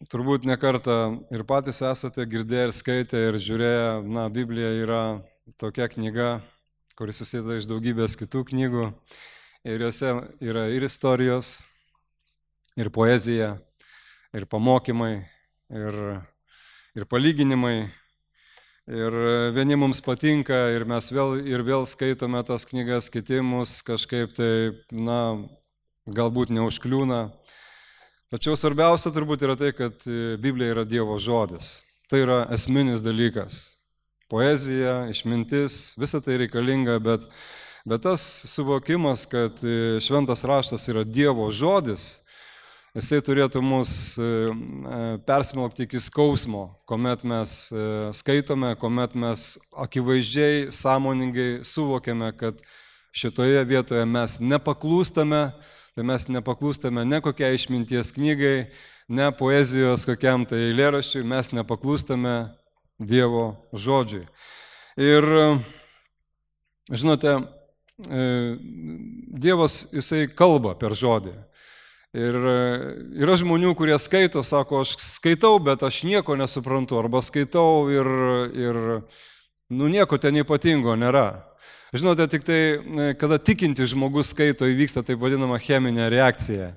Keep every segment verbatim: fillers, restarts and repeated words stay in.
turbūt ne kartą ir patys esate girdėję ir skaitę ir žiūrėję, na, Biblija yra tokia knyga, kuris susideda iš daugybės kitų knygų ir juose yra ir istorijos, ir poezija, ir pamokymai, ir, ir palyginimai. Ir vieni mums patinka ir mes vėl ir vėl skaitome tas knygas, kiti mus kažkaip tai, na, galbūt neužkliūna. Tačiau svarbiausia turbūt yra tai, kad Biblija yra Dievo žodis. Tai yra esminis dalykas. Poezija, išmintis, visa tai reikalinga, bet, bet tas suvokimas, kad šventas raštas yra Dievo žodis, jisai turėtų mus persmelkti iki skausmo, kuomet mes skaitome, kuomet mes akivaizdžiai, sąmoningai suvokiame, kad šitoje vietoje mes nepaklūstame, tai mes nepaklūstame ne kokiai išminties knygai, ne poezijos kokiam tai eilėraščiui, mes nepaklūstame Dievo žodžiui. Ir, žinote, Dievas, jisai kalba per žodį. Ir yra žmonių, kurie skaito, sako, aš skaitau, bet aš nieko nesuprantu, arba skaitau ir, ir nu, nieko ten ypatingo nėra. Žinote, tik tai, kada tikinti žmogus skaito, įvyksta taip vadinama cheminė reakcija.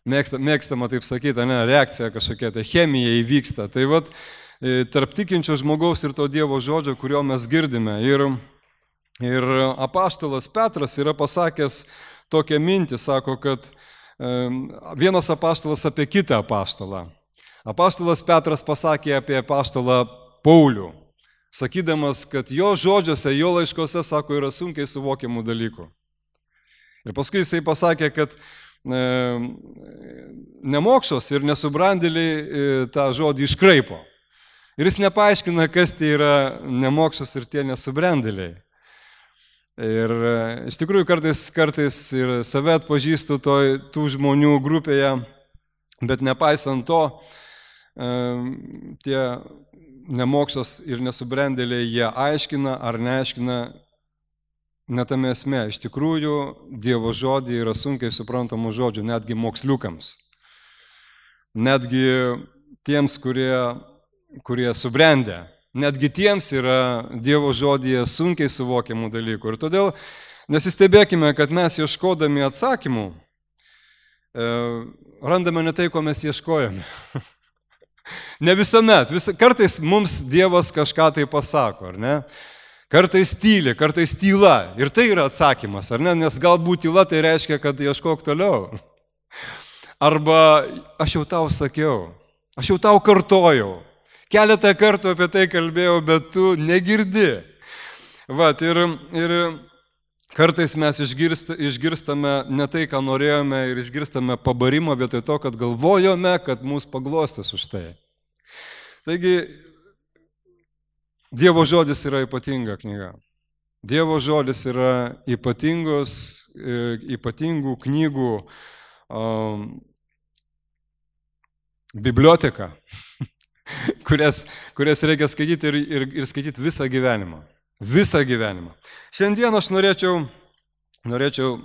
Mėgsta, mėgstama taip sakyti, ne, reakcija kažkokia, tai chemija įvyksta. Tai vat, tarp tikinčio žmogaus ir to Dievo žodžio, kurio mes girdime. Ir, ir apaštalas Petras yra pasakęs tokią mintį, sako, kad vienas apaštalas apie kitą apaštalą. Apaštalas Petras pasakė apie apaštalą Paulių, sakydamas, kad jo žodžiuose, jo laiškose, sako, yra sunkiai suvokiamų dalykų. Ir paskui jisai pasakė, kad e, nemokšos ir nesubrandėliai e, tą žodį iškraipo. Ir jis nepaaiškina, kas tai yra nemokšos ir tie nesubrandėliai. Ir iš tikrųjų kartais, kartais ir save atpažįstu to, tų žmonių grupėje, bet nepaisant to, tie nemokšos ir nesubrendėliai, jie aiškina ar neaiškina, netame esmė. Iš tikrųjų, Dievo žodį yra sunkiai suprantamų žodžių, netgi moksliukams. Netgi tiems, kurie, kurie subrendę. Netgi tiems yra Dievo žodyje sunkiai suvokiamų dalykų. Ir todėl nesistebėkime, kad mes ieškodami atsakymų e, randame ne tai, ko mes ieškojame. Ne visuomet. Vis, kartais mums Dievas kažką tai pasako, ar ne? Kartais tyli, kartais tyla. Ir tai yra atsakymas, ar ne? Nes galbūt tyla tai reiškia, kad ieškok toliau. Arba aš jau tau sakiau, aš jau tau kartojau. Keletą kartų apie tai kalbėjau, bet tu negirdi. Vat, ir, ir kartais mes išgirsta, išgirstame ne tai, ką norėjome, ir išgirstame pabarimą vietoj to, kad galvojome, kad mūsų paglostys už tai. Taigi, Dievo žodis yra ypatinga knyga. Dievo žodis yra ypatingos, ypatingų knygų um, biblioteka. Kurias, kurias reikia skaityti ir, ir, ir skaityti visą gyvenimą. Visą gyvenimą. Šiandien aš norėčiau, norėčiau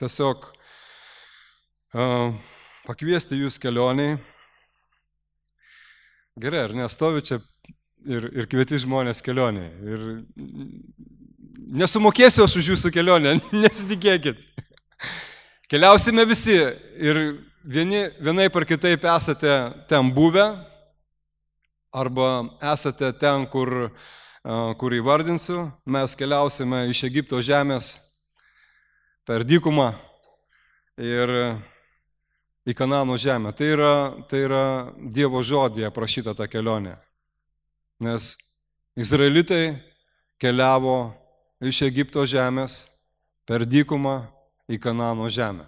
tiesiog uh, pakviesti jūs kelioniai. Gerai, ar nestovi čia ir, ir kvieti žmonės kelioniai. Ir nesumokėsiu aš už jūsų kelionę, nesitikėkit. Keliausime visi ir vieni, vienai par kitaip esate ten buvę, arba esate ten, kur, kur įvardinsiu, mes keliausime iš Egipto žemės per dykumą ir į Kanano žemę. Tai yra, tai yra Dievo žodyje aprašyta ta kelionė. Nes izraelitai keliavo iš Egipto žemės per dykumą į Kanano žemę.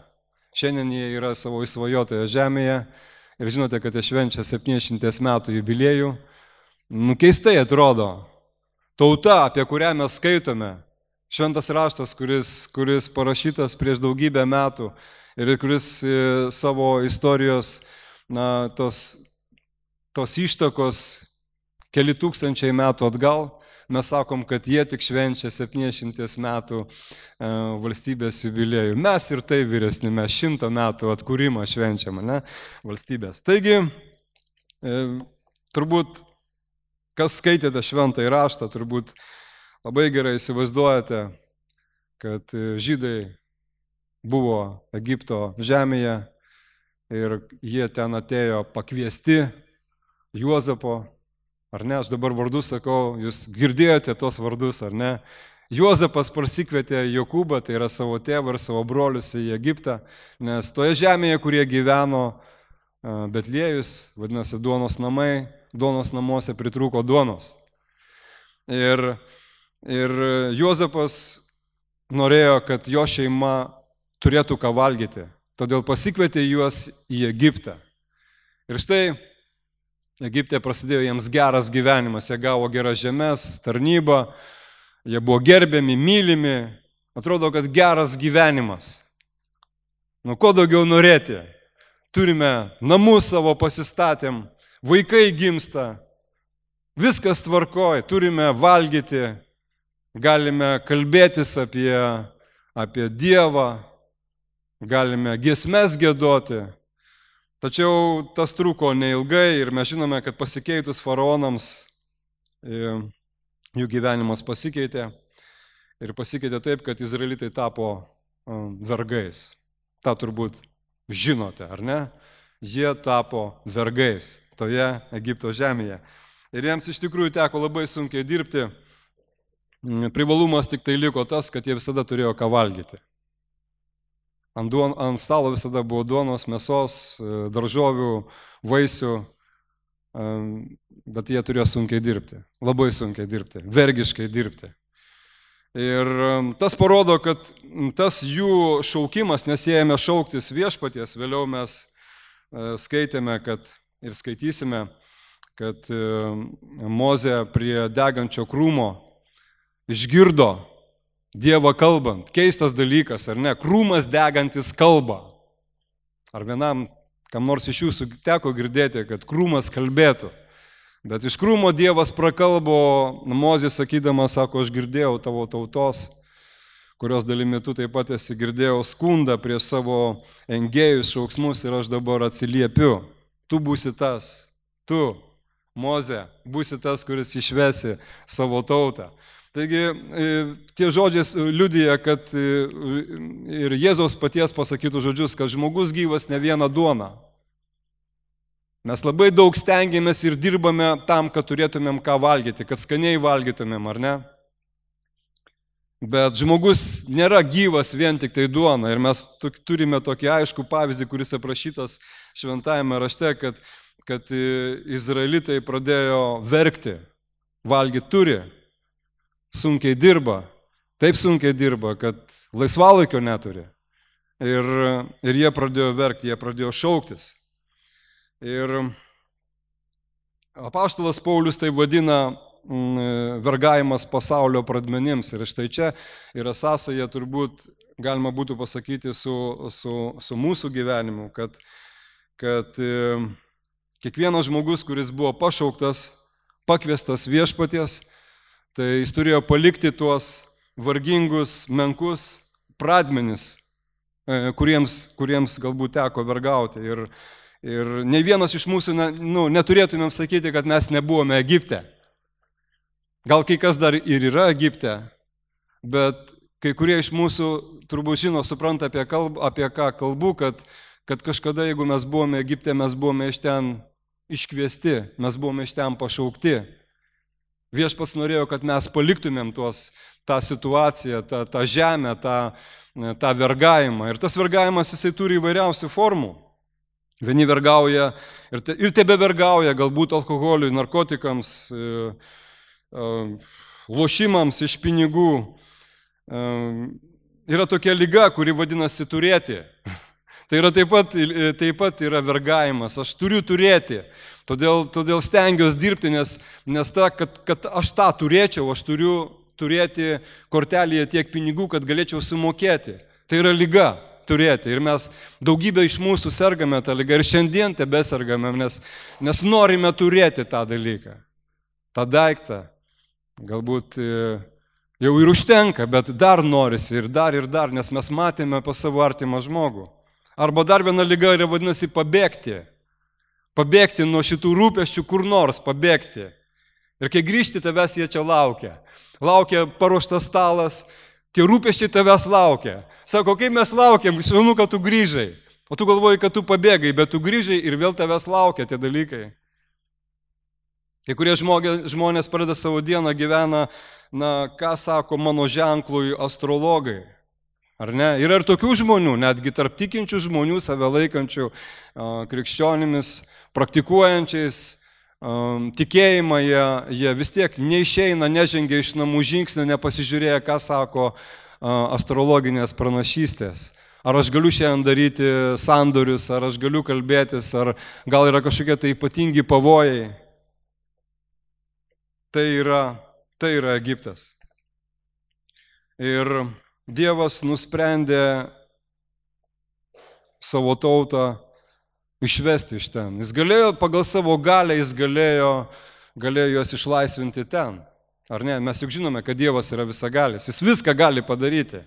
Šiandien jie yra savo įsvajotoje žemėje. Ir žinote, kad jie švenčia septyniasdešimt metų jubiliejų. Nu, keistai atrodo. Tauta, apie kurią mes skaitome, šventas raštas, kuris, kuris parašytas prieš daugybę metų ir kuris savo istorijos, na, tos, tos ištakos keli tūkstančiai metų atgal, mes sakom, kad jie tik švenčia septyniasdešimt metų valstybės jubiliejų. Mes ir tai vyresni, mes šimtą metų atkūrimą švenčiam, ne, valstybės. Taigi, Turbūt, kas skaitėte šventąjį raštą, turbūt labai gerai įsivaizduojate, kad žydai buvo Egipto žemėje ir jie ten atėjo pakviesti Juozapo, ar ne, aš dabar vardus sakau, jūs girdėjote tos vardus, ar ne. Juozapas pasikvietė Jokūbą, tai yra savo tėvą ir savo brolius į Egiptą, nes toje žemėje, kurie gyveno Betliejus, vadinasi duonos namai, duonos namuose pritrūko duonos. Ir, ir Juozapas norėjo, kad jo šeima turėtų ką valgyti, todėl pasikvietė juos į Egiptą. Ir štai Egipte prasidėjo jiems geras gyvenimas, jie gavo geras žemės, tarnybą, jie buvo gerbiami, mylimi, atrodo, kad geras gyvenimas. Nu, ko daugiau norėti? Turime namus savo pasistatėm, vaikai gimsta, viskas tvarkoj, turime valgyti, galime kalbėtis apie, apie Dievą, galime giesmes giedoti. Tačiau tas truko neilgai ir mes žinome, kad pasikeitus faraonams jų gyvenimas pasikeitė ir pasikeitė taip, kad izraelitai tapo vergais. Ta turbūt žinote, ar ne? Jie tapo vergais toje Egipto žemėje. Ir jiems iš tikrųjų teko labai sunkiai dirbti. Privalumas tik tai liko tas, kad jie visada turėjo ką valgyti. Ant, duon, ant stalo visada buvo duonos, mėsos, daržovių, vaisių, bet jie turėjo sunkiai dirbti, labai sunkiai dirbti, vergiškai dirbti. Ir tas parodo, kad tas jų šaukimas, nes jie ėmė šauktis viešpaties, vėliau mes skaitėme kad, ir skaitysime, kad Mozė prie degančio krūmo išgirdo Dievą kalbant. Keistas dalykas, ar ne? Krūmas degantis kalba. Ar vienam, kam nors iš jūsų teko girdėti, kad krūmas kalbėtų. Bet iš krūmo Dievas prakalbo, Mozė sakydamas, sako, aš girdėjau tavo tautos, kurios dalimi tu taip pat esi girdėjau skundą prieš savo engėjus, šauksmus ir aš dabar atsiliepiu. Tu būsi tas, tu, Mozė, būsi tas, kuris išvesi savo tautą. Taigi tie žodžiai liudija, kad ir Jėzaus paties pasakytų žodžius, kad žmogus gyvas ne vieną duoną. Mes labai daug stengiamės ir dirbame tam, kad turėtumėm ką valgyti, kad skaniai valgytumėm, ar ne? Bet žmogus nėra gyvas vien tik tai duona. Ir mes turime tokį aiškų pavyzdį, kuris aprašytas šventajame rašte, kad, kad izraelitai pradėjo verkti, valgyti turi. Sunkiai dirba, taip sunkiai dirba, kad laisvalaikio neturi. Ir, ir jie pradėjo verkti, jie pradėjo šauktis. Ir apaštalas Paulius tai vadina mm, vergavimas pasaulio pradmenims. Ir štai čia yra sąsaja, turbūt galima būtų pasakyti su, su, su mūsų gyvenimu, kad, kad e, kiekvienas žmogus, kuris buvo pašauktas, pakviestas viešpaties, tai jis turėjo palikti tuos vargingus, menkus pradmenis, kuriems, kuriems galbūt teko vergauti. Ir, ir nei vienas iš mūsų ne, nu, neturėtumėm sakyti, kad mes nebuvome Egipte. Gal kai kas dar ir yra Egipte, bet kai kurie iš mūsų turbūt žino, supranta apie, kalb, apie ką kalbu, kad, kad kažkada, jeigu mes buvome Egipte, mes buvome iš ten iškviesti, mes buvome iš ten pašaukti. Viešpats norėjo, kad mes paliktumėm tuos, tą situaciją, tą, tą žemę, tą, tą vergavimą. Ir tas vergavimas, jisai turi įvairiausių formų. Vieni vergauja ir, te, ir tebe vergauja, galbūt alkoholiui, narkotikams, e, e, lošimams iš pinigų. E, yra tokia liga, kuri vadinasi turėti. Tai yra taip pat, taip pat yra vergavimas. Aš turiu turėti. Todėl, todėl stengiuosi dirbti, nes, nes ta, kad, kad aš tą turėčiau, aš turiu turėti kortelėje tiek pinigų, kad galėčiau sumokėti. Tai yra liga turėti. Ir mes daugybė iš mūsų sergame tą ligą ir šiandien tebesergame, nes, nes norime turėti tą dalyką. Tą daiktą. Galbūt jau ir užtenka, bet dar norisi ir dar ir dar, nes mes matėme pas savo artimą žmogų. Arba dar viena liga yra vadinasi pabėgti. Pabėgti nuo šitų rūpesčių kur nors, pabėgti. Ir kai grįžti, tavęs jie čia laukia. Laukia paruoštas stalas, tie rūpesčiai tavęs laukia. Sako, kai mes laukiam, žinau, kad tu grįžai. O tu galvoji, kad tu pabėgai, bet tu grįžai ir vėl tavęs laukia tie dalykai. Kai kurie žmonės pradeda savo dieną gyvena, na, ką sako mano ženklui astrologai. Ar ne? Yra ir tokių žmonių, netgi tarp tikinčių žmonių, save laikančių krikščionimis, praktikuojančiais tikėjimą, jie, jie vis tiek neišeina, nežengia iš namų žingsnio, nepasižiūrėję, ką sako astrologinės pranašystės. Ar aš galiu šiandien daryti sandorius, ar aš galiu kalbėtis, ar gal yra kažkokie tai ypatingi pavojai. Tai yra, tai yra Egiptas. Ir Dievas nusprendė savo tautą išvesti iš ten. Jis galėjo, pagal savo galę, jis galėjo, galėjo juos išlaisvinti ten. Ar ne? Mes juk žinome, kad Dievas yra visagalis. Jis viską gali padaryti.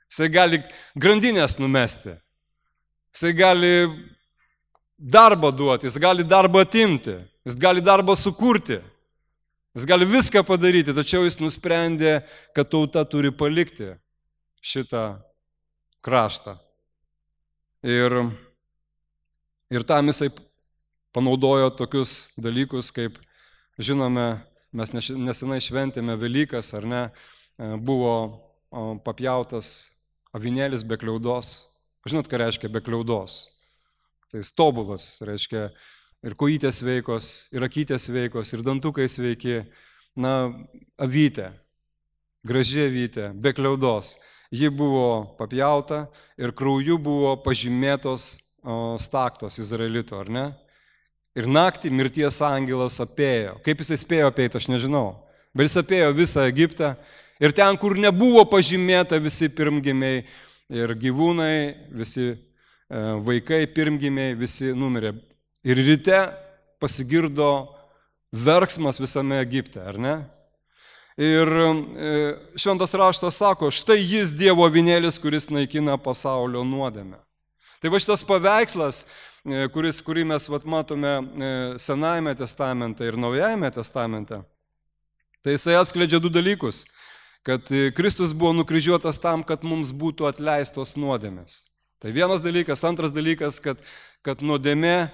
Jisai gali grandinės numesti. Jisai gali darbą duoti, jis gali darbą atimti, jis gali darbą sukurti. Jis gali viską padaryti, tačiau jis nusprendė, kad tauta turi palikti šitą kraštą. Ir, ir tam jisai panaudojo tokius dalykus, kaip, žinome, mes nesenai šventėme Velykas, ar ne, buvo papjautas avinėlis be kliaudos. Žinot, ką reiškia be kliaudos? Tai jis tobulas, reiškia ir kojytės veikos, ir akytės veikos, ir dantukai sveiki. Na, avytė, graži avytė, be kliaudos. Ji buvo papjauta ir krauju buvo pažymėtos o, staktos izraelito, ar ne? Ir naktį mirties angelas apėjo. Kaip jis spėjo apeiti, aš nežinau. Bet jis apėjo visą Egiptą. Ir ten, kur nebuvo pažymėta visi pirmgimiai ir gyvūnai, visi e, vaikai pirmgimiai, visi numirė. Ir ryte pasigirdo verksmas visame Egipte, ar ne? Ir e, šventas raštas sako, štai jis Dievo avinėlis, kuris naikina pasaulio nuodėmę. Tai va šitas paveikslas, e, kuris, kurį mes vat, matome e, Senajame testamente ir Naujajame testamente, tai jisai atskleidžia du dalykus. Kad Kristus buvo nukryžiuotas tam, kad mums būtų atleistos nuodėmės. Tai vienas dalykas. Antras dalykas, kad, kad nuodėmė,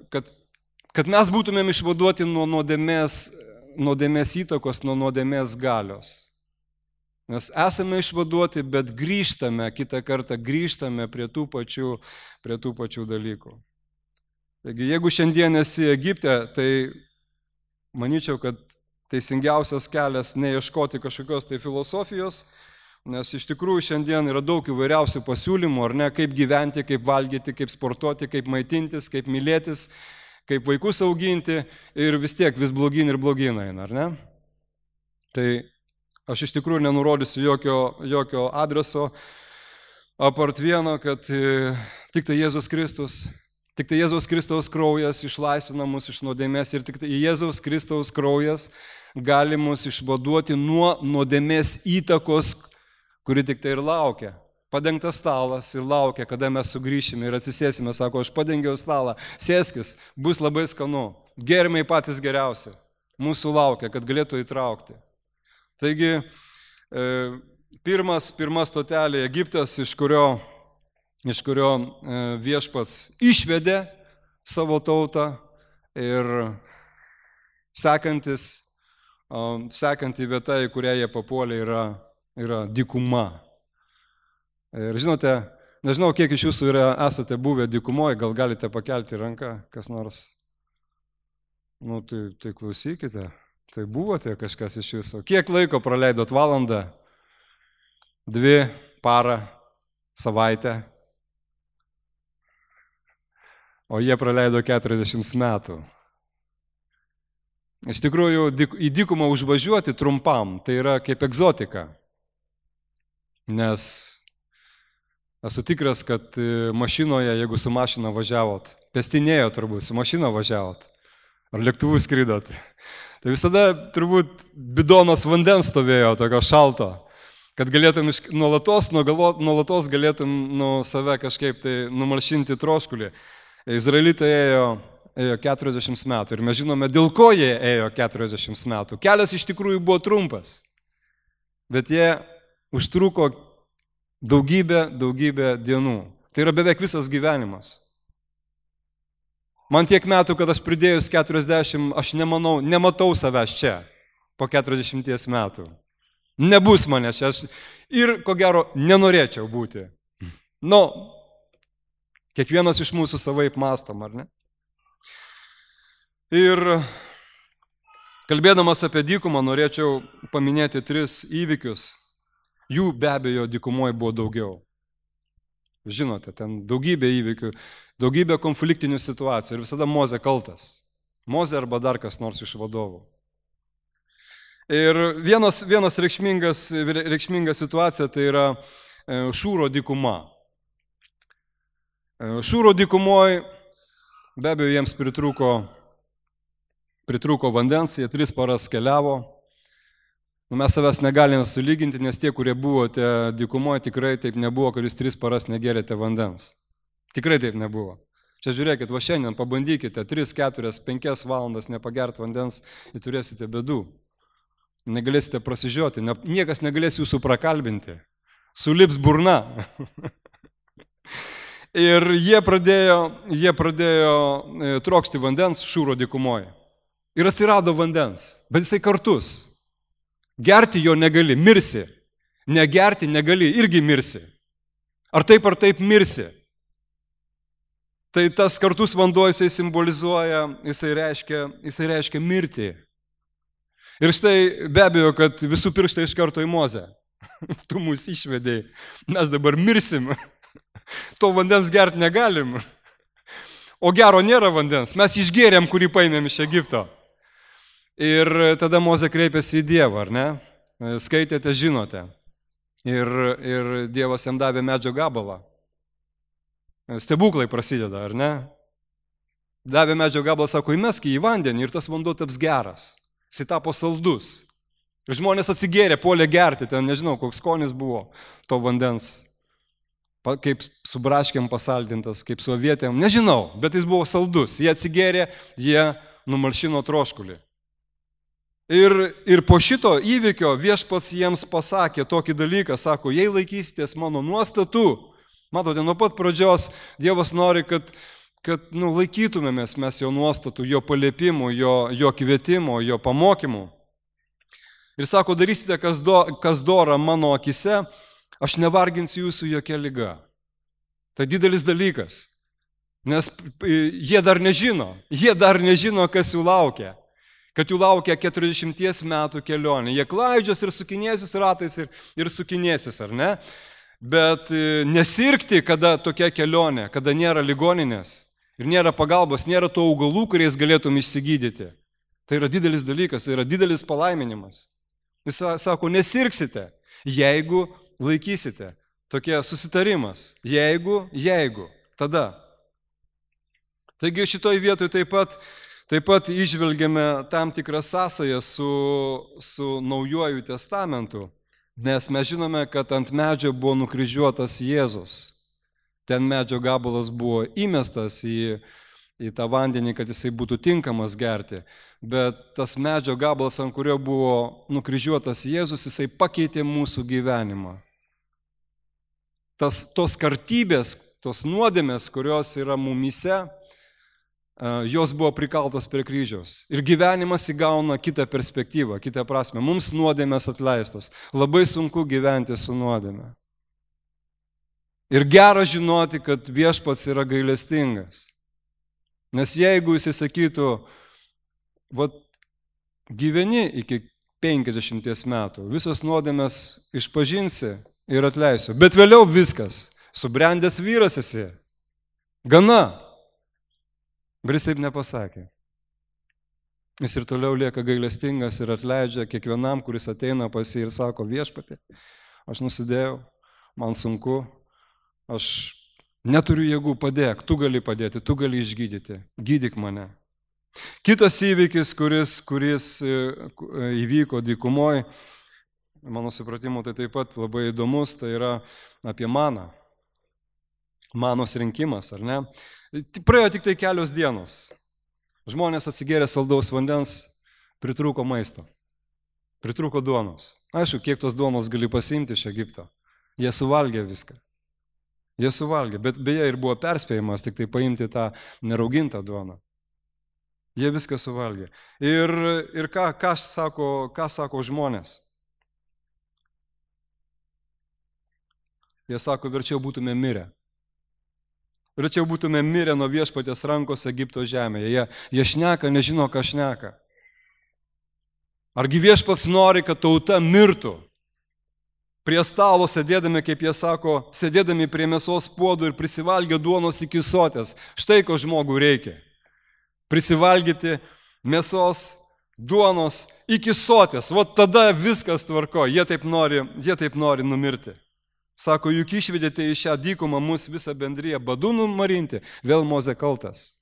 kad, kad mes būtumėm išvaduoti nuo nuodėmės, nuodėmės įtakos, nuo nuodėmės galios. Nes esame išvaduoti, bet grįžtame, kitą kartą grįžtame prie tų pačių, prie tų pačių dalykų. Taigi, jeigu šiandien esi Egipte, tai manyčiau, kad teisingiausias kelias neieškoti kažkokios tai filosofijos, nes iš tikrųjų šiandien yra daug įvairiausių pasiūlymų, ar ne, kaip gyventi, kaip valgyti, kaip sportuoti, kaip maitintis, kaip mylėtis, kaip vaikus auginti ir vis tiek vis blogyn ir blogyn eina, ar ne? Tai aš iš tikrųjų nenurodysiu jokio, jokio adreso, apart vieno, kad tik tai Jėzus Kristus, tik tai Jėzaus Kristaus kraujas išlaisvina mus iš nuodėmės ir tik tai Jėzaus Kristaus kraujas gali mus išvaduoti nuo nuodėmės įtakos, kuri tik tai ir laukia. Padengtas stalas ir laukia, kada mes sugrįšime ir atsisėsime, sako, aš padengiau stalą, sėskis, bus labai skanu, gėrimai patys geriausi, mūsų laukia, kad galėtų įtraukti. Taigi, pirmas, pirma stotelė Egiptas, iš kurio, iš kurio viešpats išvedė savo tautą ir sekantis, sekanti vieta, į kurią jie papuolė, yra, yra dykuma. Ir žinote, nežinau, kiek iš jūsų yra, esate buvę dykumoje, gal galite pakelti ranką, kas nors. Nu, tai, tai klausykite, tai buvote kažkas iš jūsų. Kiek laiko praleidot? Valandą, dvi, parą, savaitę? O jie praleido keturiasdešimt metų. Iš tikrųjų, į dykumą užvažiuoti trumpam, tai yra kaip egzotika. Nes esu tikras, kad mašinoje, jeigu su mašina važiavot, pestinėjo turbūt, su mašina važiavot, ar lėktuvų skridot, tai visada turbūt bidonas vandens stovėjo, tokio šalto, kad galėtum nuolatos, nuolatos galėtum nuo save kažkaip tai numalšinti troškulį. Izraelitai ėjo, ėjo keturiasdešimt metų ir mes žinome, dėl ko jie ėjo keturiasdešimt metų. Kelias iš tikrųjų buvo trumpas, bet jie užtruko daugybę, daugybę dienų. Tai yra beveik visas gyvenimas. Man tiek metų, kad aš pridėjus keturiasdešimt, aš nemanau, nematau savęs čia po keturiasdešimties metų. Nebus manęs čia, aš ir ko gero nenorėčiau būti. Nu, kiekvienas iš mūsų savaip mąstom, ar ne? Ir kalbėdamas apie dykumą norėčiau paminėti tris įvykius. Jų be abejo dykumoje buvo daugiau. Žinote, ten daugybė įvykių, daugybė konfliktinių situacijų ir visada Mozė kaltas. Mozė arba dar kas nors iš vadovų. Ir vienas, vienas reikšmingas, reikšminga situacija tai yra Šūro dykuma. Šūro dykumoje be abejo jiems pritrūko, pritrūko vandens, jie tris paras keliavo. Mes savęs negalime sulyginti, nes tie, kurie buvote dykumoje, tikrai taip nebuvo, kad jūs tris paras negerėte vandens. Tikrai taip nebuvo. Čia žiūrėkit, va šiandien pabandykite tris, keturias, penkias valandas nepagert vandens ir turėsite bėdų. Negalėsite prasižioti, ne, niekas negalės jūsų prakalbinti. Sulips burna. Ir jie pradėjo, jie pradėjo trokšti vandens Šūro dykumoje. Ir atsirado vandens, bet jisai kartus. Gerti jo negali, mirsi. Negerti negali, irgi mirsi. Ar taip ar taip mirsi. Tai tas kartus vanduo jisai simbolizuoja, jisai reiškia, jisai reiškia mirtį. Ir štai be abejo, kad visų pirštai iš karto į Mozę. Tu mūsų išvedėjai. Mes dabar mirsim. To vandens gerti negalim. O gero nėra vandens. Mes išgėrėm, kurį paėmėm iš Egipto. Ir tada Mozė kreipėsi į Dievą, ar ne? Skaitėte, žinote. Ir, ir Dievas jam davė medžio gabalą. Stebuklai prasideda, ar ne? Davė medžio gabalą, sako, įmesk į vandenį ir tas vanduo taps geras. Jis tapo saldus. Ir žmonės atsigėrė, puolė gerti, ten nežinau, koks skonis buvo to vandens. Kaip su braškėm pasaldintas, kaip su avietėm, nežinau, bet jis buvo saldus. Jie atsigėrė, jie numalšino troškulį. Ir, ir po šito įvykio viešpats jiems pasakė tokį dalyką, sako, jei laikysitės mano nuostatų, matote, nuo pat pradžios Dievas nori, kad, kad nu, laikytumėmės mes jo nuostatų, jo paliepimų, jo, jo kvietimo, jo pamokymų. Ir sako, darysite, kas, do, kas dora mano akise, aš nevarginsiu jūsų jokia liga. Tai didelis dalykas, nes jie dar nežino, jie dar nežino, kas jų laukia. Kad jų laukia keturiasdešimties metų kelionė. Jie klaidžios ir sukinėsis ratais ir, ir sukinėsis, ar ne? Bet nesirgti, kada tokia kelionė, kada nėra ligoninės ir nėra pagalbos, nėra to augalų, kuriais galėtum išsigydyti. Tai yra didelis dalykas, tai yra didelis palaiminimas. Jis sako, nesirgsite, jeigu laikysite. Tokie susitarimas. Jeigu, jeigu, tada. Taigi šitoj vietoj taip pat Taip pat išvelgiame tam tikrą sąsają su, su Naujuoju testamentu, nes mes žinome, kad ant medžio buvo nukryžiuotas Jėzus. Ten medžio gabalas buvo įmestas į, į tą vandenį, kad jisai būtų tinkamas gerti, bet tas medžio gabalas, ant kurio buvo nukryžiuotas Jėzus, jisai pakeitė mūsų gyvenimą. Tas, tos kartybės, tos nuodėmės, kurios yra mumyse, jos buvo prikaltos prie kryžiaus. Ir gyvenimas įgauna kitą perspektyvą, kitą prasme. Mums nuodėmės atleistos. Labai sunku gyventi su nuodėme. Ir gera žinoti, kad viešpats yra gailestingas. Nes jeigu jis sakytų, vat, gyveni iki penkiasdešimties metų, visos nuodėmės išpažinsi ir atleisiu. Bet vėliau viskas. Subrendęs vyras esi. Gana. Bet jis taip nepasakė. Jis ir toliau lieka gailestingas ir atleidžia kiekvienam, kuris ateina pas jį ir sako, viešpatį, aš nusidėjau, man sunku, aš neturiu jėgų, padėk, tu gali padėti, tu gali išgydyti, gydyk mane. Kitas įvykis, kuris, kuris įvyko dykumoje, mano supratimu, tai taip pat labai įdomus, tai yra apie maną. manos rinkimas, ar ne? Praėjo tik tai kelios dienos. Žmonės atsigėrė saldaus vandens, pritrūko maisto, pritrūko duonos. Aišku, kiek tos duonos gali pasiimti iš Egipto. Jie suvalgė viską. Jie suvalgė, bet beje ir buvo perspėjimas tik tai paimti tą neraugintą duoną. Jie viską suvalgė. Ir, ir ką, ką, sako, ką sako žmonės? Jie sako, verčiau būtume mirę. Verčiau būtume mirę nuo viešpaties rankos Egipto žemėje. Jie, jie šneka, nežino, ką šneka. Argi viešpats nori, kad tauta mirtų? Prie stalo sėdėdami, kaip jie sako, sėdėdami prie mėsos puodų ir prisivalgę duonos iki sotės. Štai ko žmogų reikia. Prisivalgyti mėsos, duonos iki sotės. Vat tada viskas tvarko. Jie taip nori, jie taip nori numirti. Sako, juk išvedėte į šią dykumą mus visą bendriją badu numarinti. Vėl Mozė kaltas.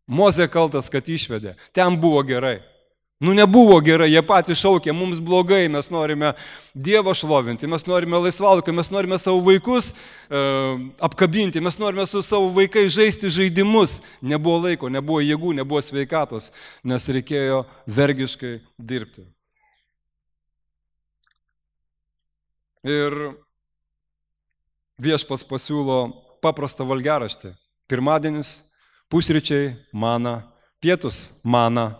Mozė kaltas, kad išvedė. Ten buvo gerai. Nu nebuvo gerai, jie patys šaukė, mums blogai, mes norime Dievą šlovinti, mes norime laisvalaikio, mes norime savo vaikus e, apkabinti, mes norime su savo vaikais žaisti žaidimus. Nebuvo laiko, nebuvo jėgų, nebuvo sveikatos, nes reikėjo vergiškai dirbti. Ir viešpats pasiūlo paprastą valgiaraštį. Pirmadienis, pusryčiai, mana, pietus, mana,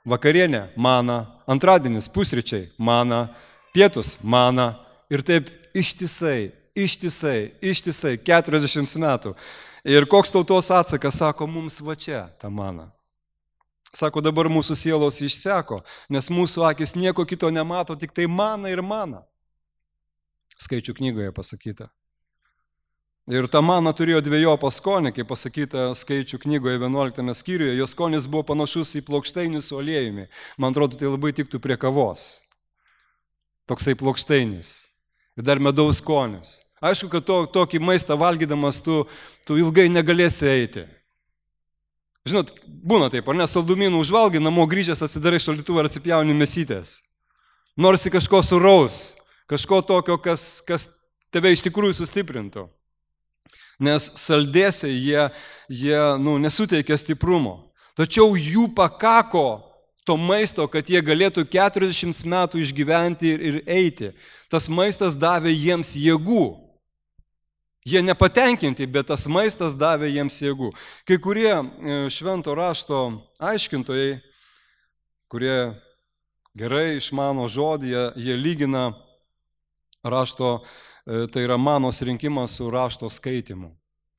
vakarienė, mana, antradienis, pusryčiai, mana, pietus, mana. Ir taip ištisai, ištisai, ištisai, keturiasdešimt metų. Ir koks tautos atsakas, sako, mums va čia ta mana. Sako, dabar mūsų sielos išseko, nes mūsų akis nieko kito nemato, tik tai mana ir mana. Skaičių knygoje pasakyta. Ir ta mana turėjo dviejopą skonį, kaip pasakyta Skaičių knygoje vienuoliktame skyriuje, jos skonis buvo panašus į plokšteinį su aliejumi. Man atrodo, tai labai tiktų prie kavos. Toksai plokšteinis. Ir dar medaus skonis. Aišku, kad to, tokį maistą valgydamas tu, tu ilgai negalėsi eiti. Žinot, būna taip, ar ne, saldumynų užvalgai, namo grįžęs atsidarai šaldytuvą ir atsipjauni mėsytės. Norisi kažko suraus, kažko tokio, kas, kas tave iš tikrųjų sustiprintų. Nes saldėsiai jie, jie nu, nesuteikia stiprumo. Tačiau jų pakako to maisto, kad jie galėtų keturiasdešimt metų išgyventi ir, ir eiti. Tas maistas davė jiems jėgų. Jie nepatenkinti, bet tas maistas davė jiems jėgų. Kai kurie švento rašto aiškintojai, kurie gerai išmano žodį, jie, jie lygina rašto, tai yra manos rinkimas su rašto skaitimu.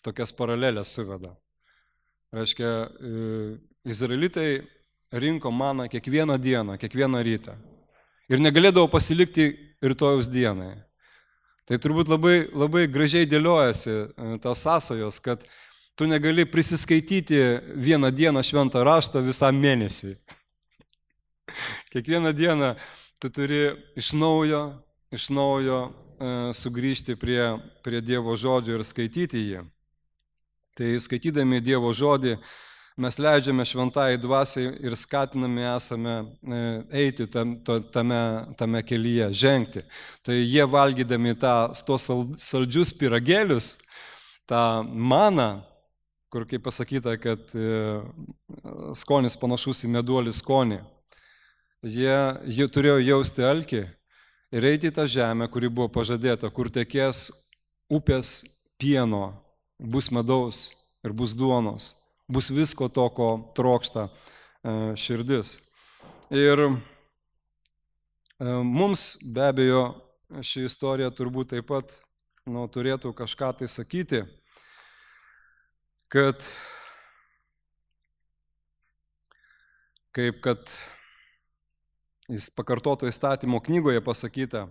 Tokias paralelės suveda. Reiškia, izraelitai rinko maną kiekvieną dieną, kiekvieną rytą. Ir negalėdavo pasilikti rytojaus dienai. Tai turbūt labai, labai gražiai dėliojasi tas sąsajos, kad tu negali prisiskaityti vieną dieną šventą raštą visam mėnesiui. Kiekvieną dieną tu turi iš naujo, iš naujo sugrįžti prie, prie Dievo žodžio ir skaityti jį. Tai skaitydami Dievo žodį mes leidžiame šventai dvasiai ir skatinami esame eiti tam, tame, tame kelyje, žengti. Tai jie valgydami tą, tos saldžius pyragėlius, tą maną, kur kaip pasakyta, kad skonis panašus į meduolį skonį, jie, jie turėjo jausti alkį ir eiti į tą žemę, kuri buvo pažadėta, kur tekės upės pieno, bus medaus ir bus duonos, bus visko to, ko trokšta širdis. Ir mums be abejo ši istorija turbūt taip pat nu, turėtų kažką tai sakyti, kad kaip kad jis pakartoto įstatymo knygoje pasakyta,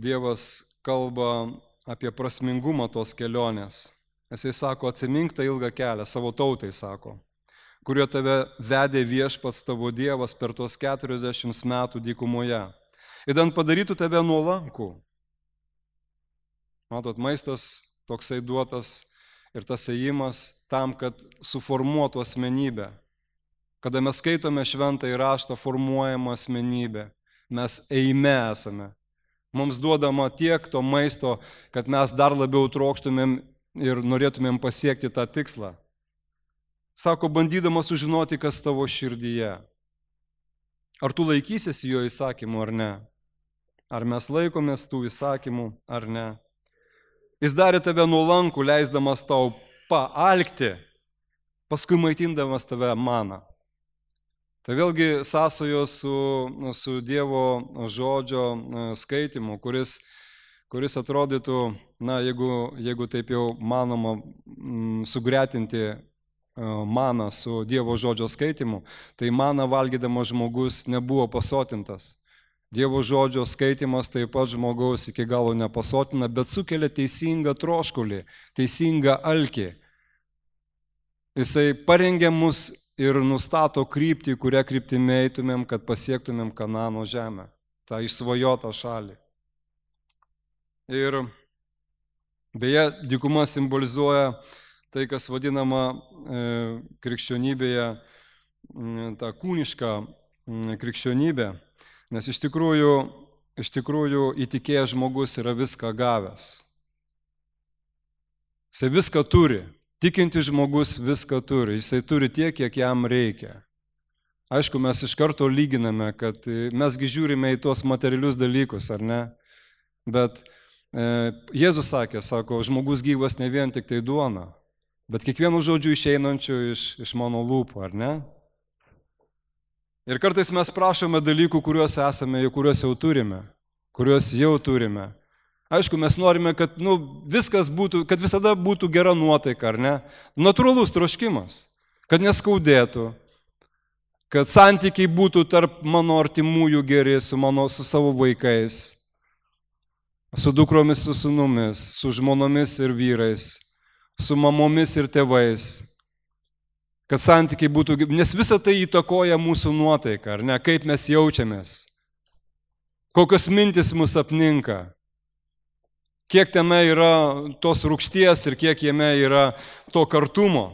Dievas kalba apie prasmingumą tos kelionės. Jisai sako, atsimink tą ilgą kelią, savo tautai sako, kurio tave vedė viešpats tavo Dievas per tos keturiasdešimt metų dykumoje. Įdant padarytų tave nuolankų. Matot, maistas toksai duotas ir tas ėjimas tam, kad suformuotų asmenybę. Kada mes skaitome šventąjį raštą, formuojama asmenybė. Mes ėjime esame. Mums duodama tiek to maisto, kad mes dar labiau trokštumėm ir norėtumėm pasiekti tą tikslą. Sako, bandydamas sužinoti, kas tavo širdyje. Ar tu laikysiesi jo įsakymų ar ne? Ar mes laikomės tų įsakymų ar ne? Jis darė tave nuolankų, leisdamas tau paalkti, paskui maitindamas tave maną. Tai vėlgi sąsajos su, su Dievo žodžio skaitimu, kuris, kuris atrodytų, na, jeigu, jeigu taip jau manoma m, sugretinti maną su Dievo žodžio skaitimu, tai maną valgydamas žmogus nebuvo pasotintas. Dievo žodžio skaitimas taip pat žmogaus iki galo nepasotina, bet sukelia teisingą troškulį, teisingą alkį. Jisai parengia mus ir nustato kryptį, kurią kryptimi eitumėm, kad pasiektumėm Kanano žemę, tą išsvajotą šalį. Ir beje, dykuma simbolizuoja tai, kas vadinama e, krikščionybėje, ta kūniška krikščionybė, nes iš tikrųjų, iš tikrųjų įtikėjęs žmogus yra viską gavęs. Jisai viską turi. Tikintis žmogus viską turi, jisai turi tiek, kiek jam reikia. Aišku, mes iš karto lyginame, kad mesgi žiūrime į tuos materialius dalykus, ar ne? Bet e, Jėzus sakė, sako, žmogus gyvas ne vien tik tai duona, bet kiekvienu žodžiu išeinančiu iš, iš mano lūpų, ar ne? Ir kartais mes prašome dalykų, kuriuos esame, kuriuos jau turime, kuriuos jau turime. Aišku, mes norime, kad nu, viskas būtų, kad visada būtų gera nuotaika, ar ne? Natūralus troškimas, kad neskaudėtų, kad santykiai būtų tarp mano artimųjų geri, su, mano, su savo vaikais, su dukromis, su sūnumis, su žmonomis ir vyrais, su mamomis ir tėvais, kad santykiai būtų, nes visa tai įtakoja mūsų nuotaiką, ar ne? Kaip mes jaučiamės, kokios mintis mus apninka. Kiek tame yra tos rūgšties ir kiek jame yra to kartumo.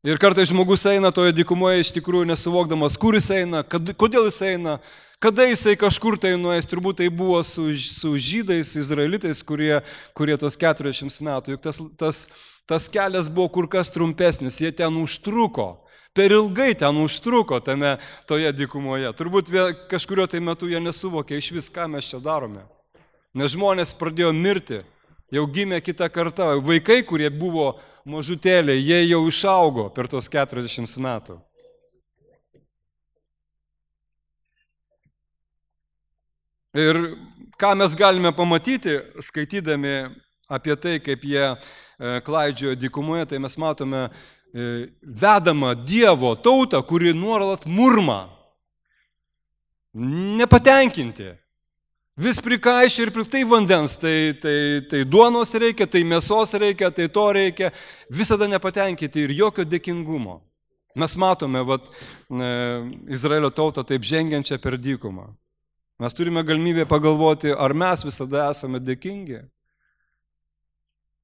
Ir kartais žmogus eina toje dykumoje iš tikrųjų nesuvokdamas, kur jis eina, kad, kodėl jis eina, kada jisai kažkur tai nuės. Turbūt tai buvo su, su žydais, izraelitais, kurie, kurie tos keturiasdešimt metų. Juk tas, tas, tas kelias buvo kur kas trumpesnis, jie ten užtruko. Per ilgai ten užtruko tame toje dykumoje. Turbūt kažkurio tai metu jie nesuvokė iš vis, ką mes čia darome. Nes žmonės pradėjo mirti, jau gimė kita karta. Vaikai, kurie buvo mažutėliai, jie jau išaugo per tos keturiasdešimt metų. Ir ką mes galime pamatyti, skaitydami apie tai, kaip jie klaidžiojo dykumoje, tai mes matome vedamą Dievo tautą, kuri nuolat murma, nepatenkinti. Vis prikaišia ir tai vandens, tai, tai, tai duonos reikia, tai mėsos reikia, tai to reikia, visada nepatenkinti ir jokio dėkingumo. Mes matome vat, e, Izraelio tautą taip žengiančią per dykumą. Mes turime galimybę pagalvoti, ar mes visada esame dėkingi.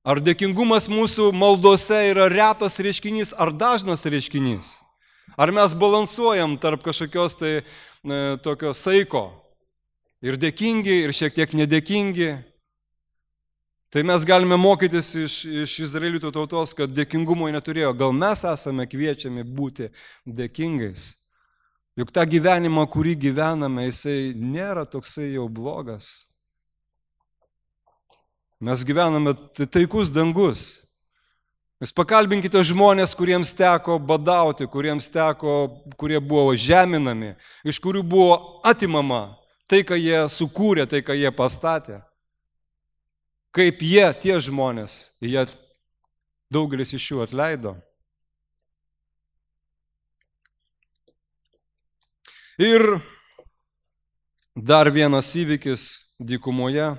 Ar dėkingumas mūsų maldose yra retas reiškinys, ar dažnas reiškinys. Ar mes balansuojam tarp kažkokios tai e, tokio saiko. Ir dėkingi, ir šiek tiek nedėkingi. Tai mes galime mokytis iš, iš izraelitų tautos, kad dėkingumo neturėjo. Gal mes esame kviečiami būti dėkingais. Juk tą gyvenimą, kurį gyvename, jisai nėra toksai jau blogas. Mes gyvename taikus dangus. Jūs pakalbinkite žmonės, kuriems teko badauti, kuriems teko, kurie buvo žeminami, iš kurių buvo atimama tai, ką jie sukūrė, tai, ką jie pastatė. Kaip jie, tie žmonės, jie daugelis iš jų atleido. Ir dar vienas įvykis dykumoje,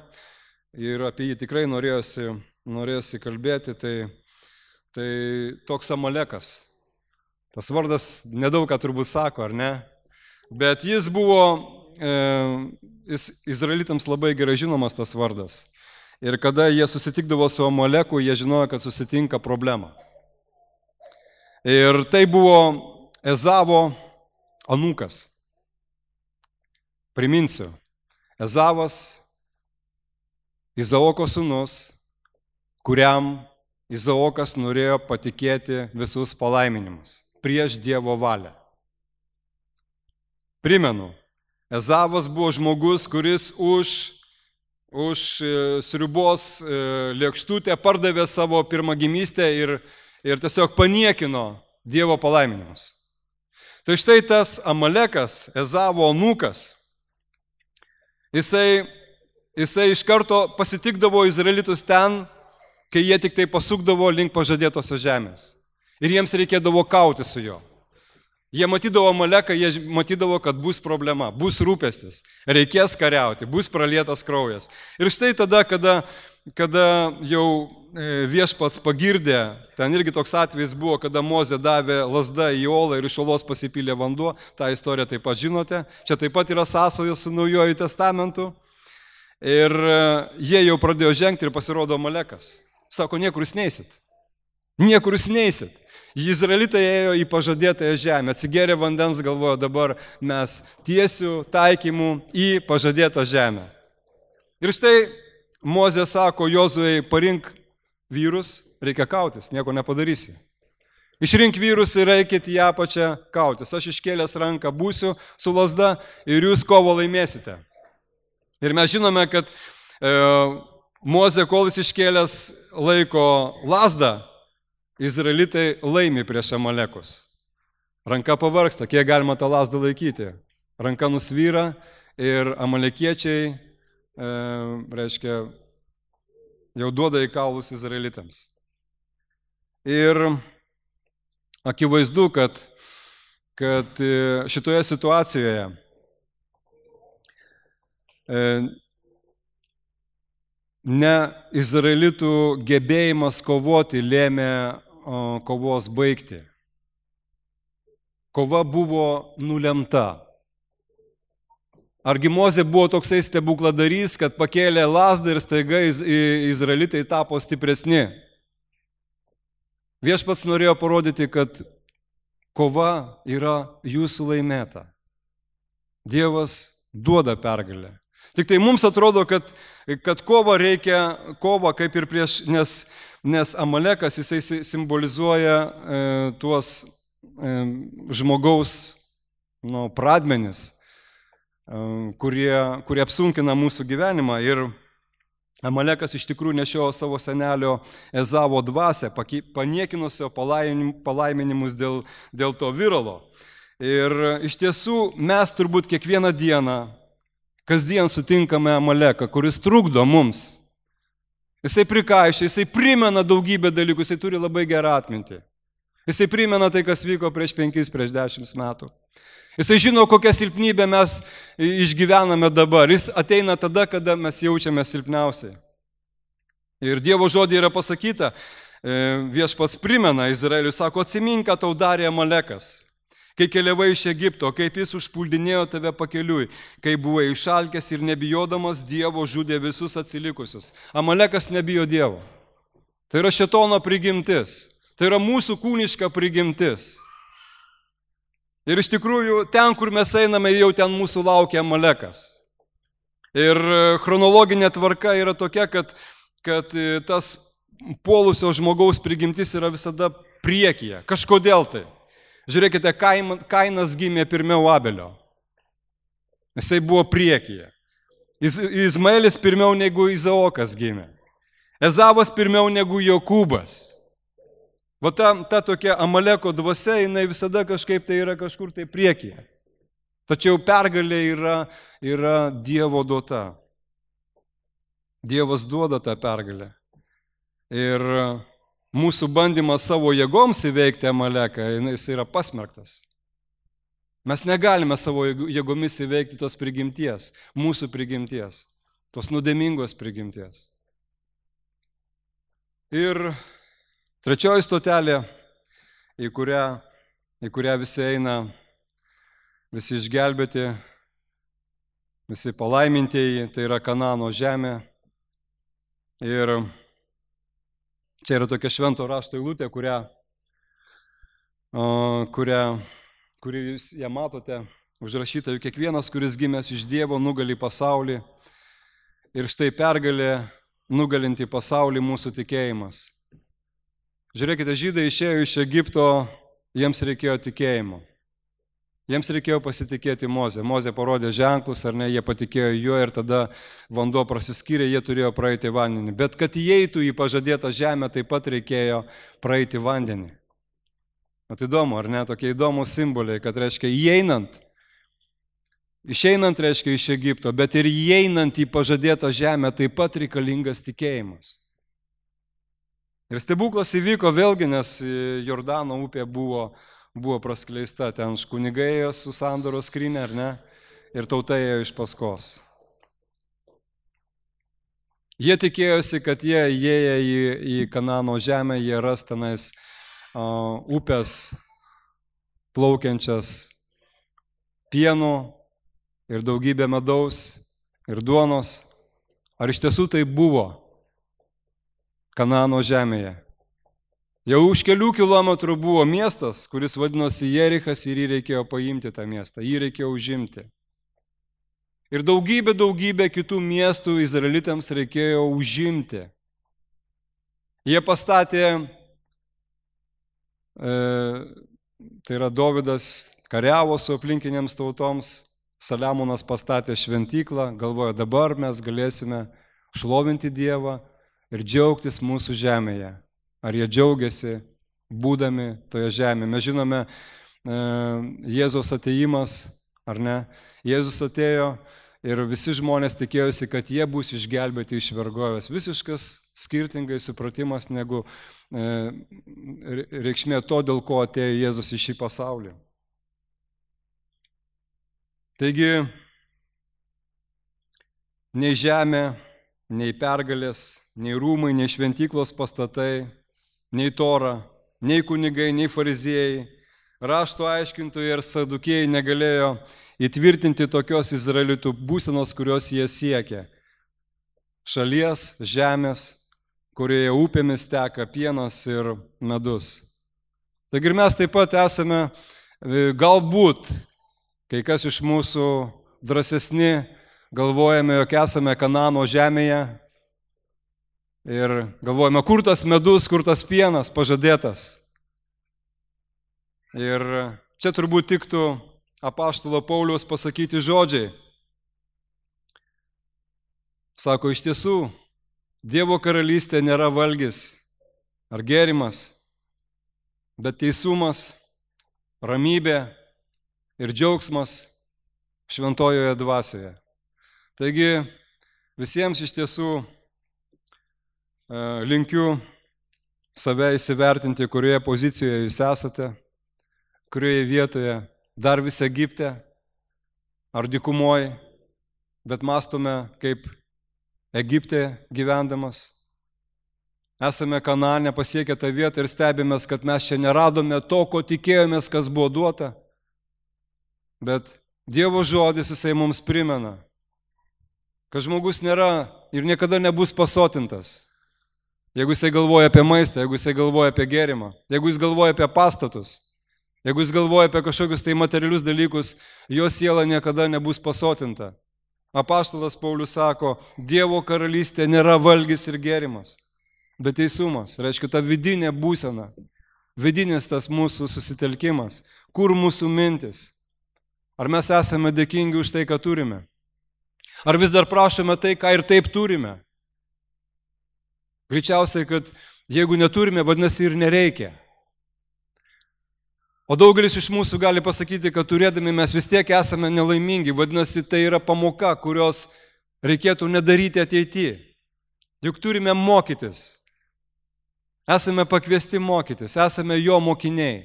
ir apie jį tikrai norėjosi, norėjosi kalbėti, tai, tai toks Amalekas. Tas vardas nedaug ką turbūt sako, ar ne? Bet jis buvo Jis, izraelitams labai gerai žinomas tas vardas. Ir kada jie susitikdavo su Amaleku, jie žinojo, kad susitinka problema. Ir tai buvo Ezavo anūkas. Priminsiu, Ezavas, Izaoko sūnus, kuriam Izaokas norėjo patikėti visus palaiminimus prieš Dievo valią. Primenu, Ezavas buvo žmogus, kuris už, už sriubos lėkštutę pardavė savo pirmagimystę ir, ir tiesiog paniekino Dievo palaiminimus. Tai štai tas Amalekas, Ezavo anūkas, jisai, jisai iš karto pasitikdavo izraelitus ten, kai jie tik tai pasukdavo link pažadėtosios žemės. Ir jiems reikėdavo kauti su juo. Jie matydavo Amaleką, jie matydavo, kad bus problema, bus rūpestis, reikės kariauti, bus pralietas kraujas. Ir štai tada, kada, kada jau viešpats pagirdė, ten irgi toks atvejis buvo, kada Mozė davė lazdą į olą ir iš olos pasipylė vanduo, tą istoriją taip pat žinote, čia taip pat yra sąsajos su Naujuoju testamentu. Ir jie jau pradėjo žengti ir pasirodo Amalekas. Sako, niekur jūs neisit. Niekur jūs neisit. Izraelitai ėjo į pažadėtąją žemę, atsigėrė vandens, galvojo, dabar mes tiesiu taikymu į pažadėtą žemę. Ir štai Mozė sako Jozuei, parink vyrus, reikia kautis, nieko nepadarysi. Išrink vyrus ir eikit į apačią kautis. Aš iškėlęs ranką būsiu su lazda ir jūs kovą laimėsite. Ir mes žinome, kad e, Mozė, kol jis iškėlęs laiko lazdą, izraelitai laimi prieš Amalekus. Ranka pavargsta, kiek galima tą lazdą laikyti. Ranka nusvyra ir amalekiečiai, e, reiškia, jau duoda į kaulus izraelitams. Ir akivaizdu, kad, kad šitoje situacijoje e, ne izraelitų gebėjimas kovoti lėmė o, kovos baigti. Kova buvo nulemta. Argi Mozė buvo toksai stebukladarys, kad pakėlė lazdą ir staiga izraelitai tapo stipresni. Viešpats norėjo parodyti, kad kova yra jūsų laimėta. Dievas duoda pergalę. Tik tai mums atrodo, kad, kad kova reikia, kova kaip ir prieš, nes, nes Amalekas jisai simbolizuoja e, tuos e, žmogaus nu, pradmenis, e, kurie, kurie apsunkina mūsų gyvenimą. Ir Amalekas iš tikrųjų nešiojo savo senelio Ezavo dvasią, paniekinusio palaiminimus dėl, dėl to viralo. Ir iš tiesų mes turbūt kiekvieną dieną kasdien sutinkame Amaleką, kuris trukdo mums. Jisai prikaišia, jisai primena daugybę dalykų, jisai turi labai gerą atmintį. Jisai primena tai, kas vyko prieš penkis, prieš dešimt metų. Jisai žino, kokią silpnybę mes išgyvename dabar. Jis ateina tada, kada mes jaučiame silpniausiai. Ir Dievo žodį yra pasakyta, viešpats primena Izraeliui, sako, atsimink, ką tau darė Amalekas. Kai keliavai iš Egipto, kaip jis užpuldinėjo tave pakeliui, kai buvai išalkęs ir nebijodamas Dievo žudė visus atsilikusius. Amalekas nebijo Dievo. Tai yra šėtono prigimtis. Tai yra mūsų kūniška prigimtis. Ir iš tikrųjų, ten, kur mes einame, jau ten mūsų laukia Amalekas. Ir chronologinė tvarka yra tokia, kad, kad tas puolusio žmogaus prigimtis yra visada priekyje. Kažkodėl tai. Žiūrėkite, Kainas gimė pirmiau Abelio. Jisai buvo priekyje. Izmaelis pirmiau negu Izaokas gimė. Ezavas pirmiau negu Jokūbas. Va ta, ta tokia Amaleko dvasia, jinai visada kažkaip tai yra kažkur tai priekyje. Tačiau pergalė yra, yra Dievo duota. Dievas duoda tą pergalę. Ir mūsų bandymas savo jėgoms įveikti Amaleką, jis yra pasmerktas. Mes negalime savo jėgomis įveikti tos prigimties, mūsų prigimties, tos nuodėmingos prigimties. Ir trečioji stotelė, į kurią, į kurią visi eina, visi išgelbėti, visi palaimintieji, tai yra Kanano žemė. Ir čia yra tokia švento rašto eilutė, kurią, kurią, kurį jūs ją matote, užrašyta, juk kiekvienas, kuris gimęs iš Dievo, nugali pasaulį. Ir štai pergalė nugalinti pasaulį mūsų tikėjimas. Žiūrėkite, žydai išėjo iš Egipto, jiems reikėjo tikėjimo. Jiems reikėjo pasitikėti Mozę. Mozė parodė ženklus, ar ne, jie patikėjo juo ir tada vanduo prasiskyrė, jie turėjo praeiti vandenį. Bet kad įeitų į pažadėtą žemę, taip pat reikėjo praeiti vandenį. At įdomu, ar ne, tokie įdomus simboliai, kad reiškia įeinant, išeinant reiškia iš Egipto, bet ir įeinant į pažadėtą žemę taip pat reikalingas tikėjimas. Ir stebuklas įvyko vėlgi, nes Jordano upė buvo buvo praskleista, ten kunigai ėjo su sandoros skryne, ar ne, ir tauta ėjo iš paskos. Jie tikėjosi, kad jie įėję į, į Kanano žemę, jie ras tenais uh, upės plaukiančias pieno ir daugybę medaus ir duonos. Ar iš tiesų tai buvo Kanano žemėje? Jau už kelių kilometrų buvo miestas, kuris vadinosi Jerichas ir jį reikėjo paimti tą miestą, jį reikėjo užimti. Ir daugybė, daugybė kitų miestų izraelitams reikėjo užimti. Jie pastatė, e, tai yra Dovydas kariavo su aplinkinėms tautoms, Saliamonas pastatė šventyklą, galvojo, dabar mes galėsime šlovinti Dievą ir džiaugtis mūsų žemėje. Ar jie džiaugiasi būdami toje žemėje. Mes žinome e, Jėzaus atėjimas, ar ne? Jėzus atėjo ir visi žmonės tikėjosi, kad jie bus išgelbėti iš vergovės. Visiškas skirtingai supratimas negu e, reikšmė to, dėl ko atėjo Jėzus į šį pasaulį. Taigi, nei žemė, nei pergalės, nei rūmai, nei šventyklos pastatai, nei Tora, nei kunigai, nei fariziejai, rašto aiškintojai ir sadukėjai negalėjo įtvirtinti tokios izraelitų būsenos, kurios jie siekė. Šalies, žemės, kurioje upėmis teka pienas ir medus. Taigi ir mes taip pat esame, galbūt, kai kas iš mūsų drąsesni, galvojame, jog esame Kanano žemėje, ir galvojame, kur tas medus, kur tas pienas pažadėtas. Ir čia turbūt tiktų apaštalo Pauliaus pasakyti žodžiai. Sako, iš tiesų, Dievo karalystė nėra valgis ar gėrimas, bet teisumas, ramybė ir džiaugsmas šventojoje dvasioje. Taigi, visiems iš tiesų linkiu save įsivertinti, kurioje pozicijoje jūs esate, kurioje vietoje, dar vis Egipte ar dykumoje, bet mąstome kaip Egipte gyvendamas. Esame Kanane pasiekę tą vietą ir stebimės, kad mes čia neradome to, ko tikėjomės, kas buvo duota, bet Dievo žodis jisai mums primena, kad žmogus nėra ir niekada nebus pasotintas. Jeigu jisai galvoja apie maistą, jeigu jisai galvoja apie gėrimą, jeigu jis galvoja apie pastatus, jeigu jis galvoja apie kažkokius tai materialius dalykus, jo siela niekada nebus pasotinta. Apaštalas Paulius sako, Dievo karalystė nėra valgis ir gėrimas, bet teisumas, reiškia ta vidinė būsena, vidinis tas mūsų susitelkimas, kur mūsų mintis. Ar mes esame dėkingi už tai, ką turime? Ar vis dar prašome tai, ką ir taip turime? Greičiausiai, kad jeigu neturime, vadinasi ir nereikia. O daugelis iš mūsų gali pasakyti, kad turėdami mes vis tiek esame nelaimingi, vadinasi, tai yra pamoka, kurios reikėtų nedaryti ateityje. Juk turime mokytis. Esame pakviesti mokytis, esame jo mokiniai.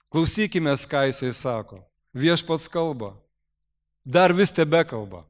Klausykime, ką jisai sako. Viešpats kalba. Dar vis tebe kalba.